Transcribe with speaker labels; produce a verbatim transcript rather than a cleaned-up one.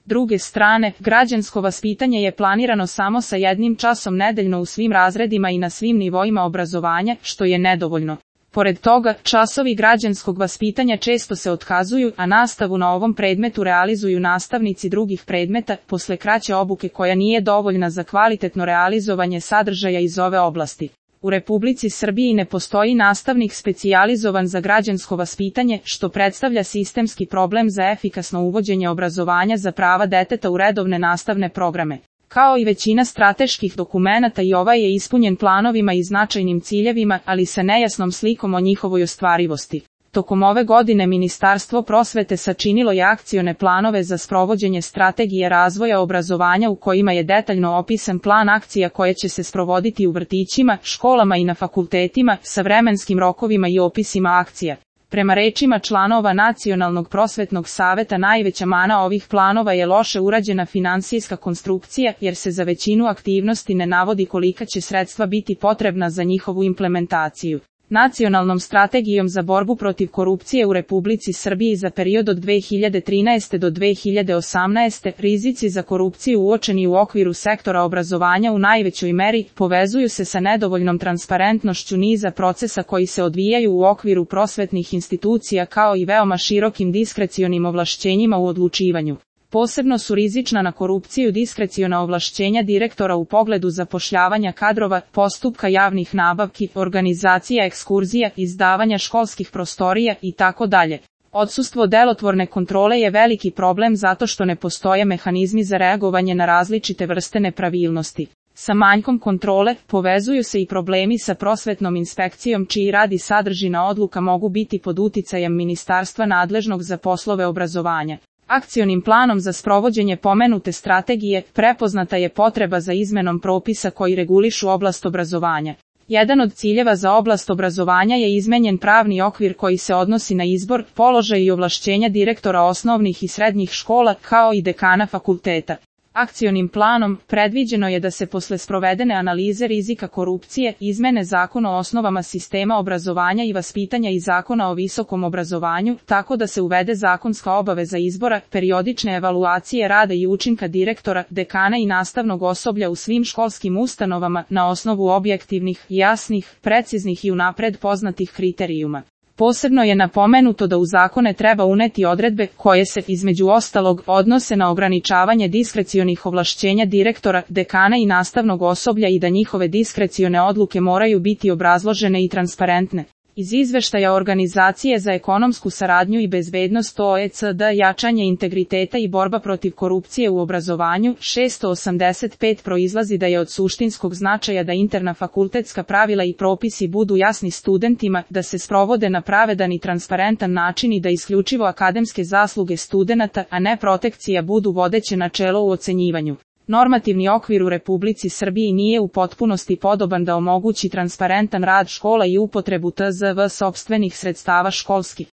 Speaker 1: druge strane, građansko vaspitanje je planirano samo sa jednim časom nedeljno u svim razredima i na svim nivoima obrazovanja, što je nedovoljno. Pored toga, časovi građanskog vaspitanja često se otkazuju, a nastavu na ovom predmetu realizuju nastavnici drugih predmeta, posle kraće obuke koja nije dovoljna za kvalitetno realizovanje sadržaja iz ove oblasti. U Republici Srbiji ne postoji nastavnik specijalizovan za građansko vaspitanje, što predstavlja sistemski problem za efikasno uvođenje obrazovanja za prava deteta u redovne nastavne programe. Kao i većina strateških dokumenata i ovaj je ispunjen planovima i značajnim ciljevima, ali sa nejasnom slikom o njihovoj ostvarivosti. Tokom ove godine Ministarstvo prosvete sačinilo je akcione planove za sprovođenje strategije razvoja obrazovanja u kojima je detaljno opisan plan akcija koje će se sprovoditi u vrtićima, školama i na fakultetima, sa vremenskim rokovima i opisima akcija. Prema rečima članova Nacionalnog prosvetnog saveta najveća mana ovih planova je loše urađena finansijska konstrukcija, jer se za većinu aktivnosti ne navodi kolika će sredstva biti potrebna za njihovu implementaciju. Nacionalnom strategijom za borbu protiv korupcije u Republici Srbiji za period od dve hiljade trinaeste do dve hiljade osamnaeste rizici za korupciju uočeni u okviru sektora obrazovanja u najvećoj meri povezuju se sa nedovoljnom transparentnošću niza procesa koji se odvijaju u okviru prosvetnih institucija kao i veoma širokim diskrecionim ovlašćenjima u odlučivanju. Posebno su rizična na korupciju diskreciona ovlašćenja direktora u pogledu zapošljavanja kadrova, postupka javnih nabavki, organizacija ekskurzija, izdavanja školskih prostorija itd. Odsustvo delotvorne kontrole je veliki problem zato što ne postoje mehanizmi za reagovanje na različite vrste nepravilnosti. Sa manjkom kontrole povezuju se i problemi sa prosvetnom inspekcijom čiji rad i sadržina odluka mogu biti pod uticajem ministarstva nadležnog za poslove obrazovanja. Akcionim planom za sprovođenje pomenute strategije prepoznata je potreba za izmenom propisa koji regulišu oblast obrazovanja. Jedan od ciljeva za oblast obrazovanja je izmenjen pravni okvir koji se odnosi na izbor, položaj i ovlašćenja direktora osnovnih i srednjih škola kao i dekana fakulteta. Akcionim planom predviđeno je da se posle sprovedene analize rizika korupcije izmene Zakon o osnovama sistema obrazovanja i vaspitanja i Zakona o visokom obrazovanju, tako da se uvede zakonska obaveza izbora, periodične evaluacije rada i učinka direktora, dekana i nastavnog osoblja u svim školskim ustanovama na osnovu objektivnih, jasnih, preciznih i unapred poznatih kriterijuma. Posebno je napomenuto da u zakone treba uneti odredbe koje se, između ostalog, odnose na ograničavanje diskrecionih ovlašćenja direktora, dekana i nastavnog osoblja i da njihove diskrecione odluke moraju biti obrazložene i transparentne. Iz izveštaja Organizacije za ekonomsku saradnju i bezbednost O E C D jačanje integriteta i borba protiv korupcije u obrazovanju šesto osamdeset pet proizlazi da je od suštinskog značaja da interna fakultetska pravila i propisi budu jasni studentima, da se sprovode na pravedan i transparentan način i da isključivo akademske zasluge studenata, a ne protekcija budu vodeće načelo u ocenjivanju. Normativni okvir u Republici Srbiji nije u potpunosti podoban da omogući transparentan rad škola i upotrebu T Z V sopstvenih sredstava školskih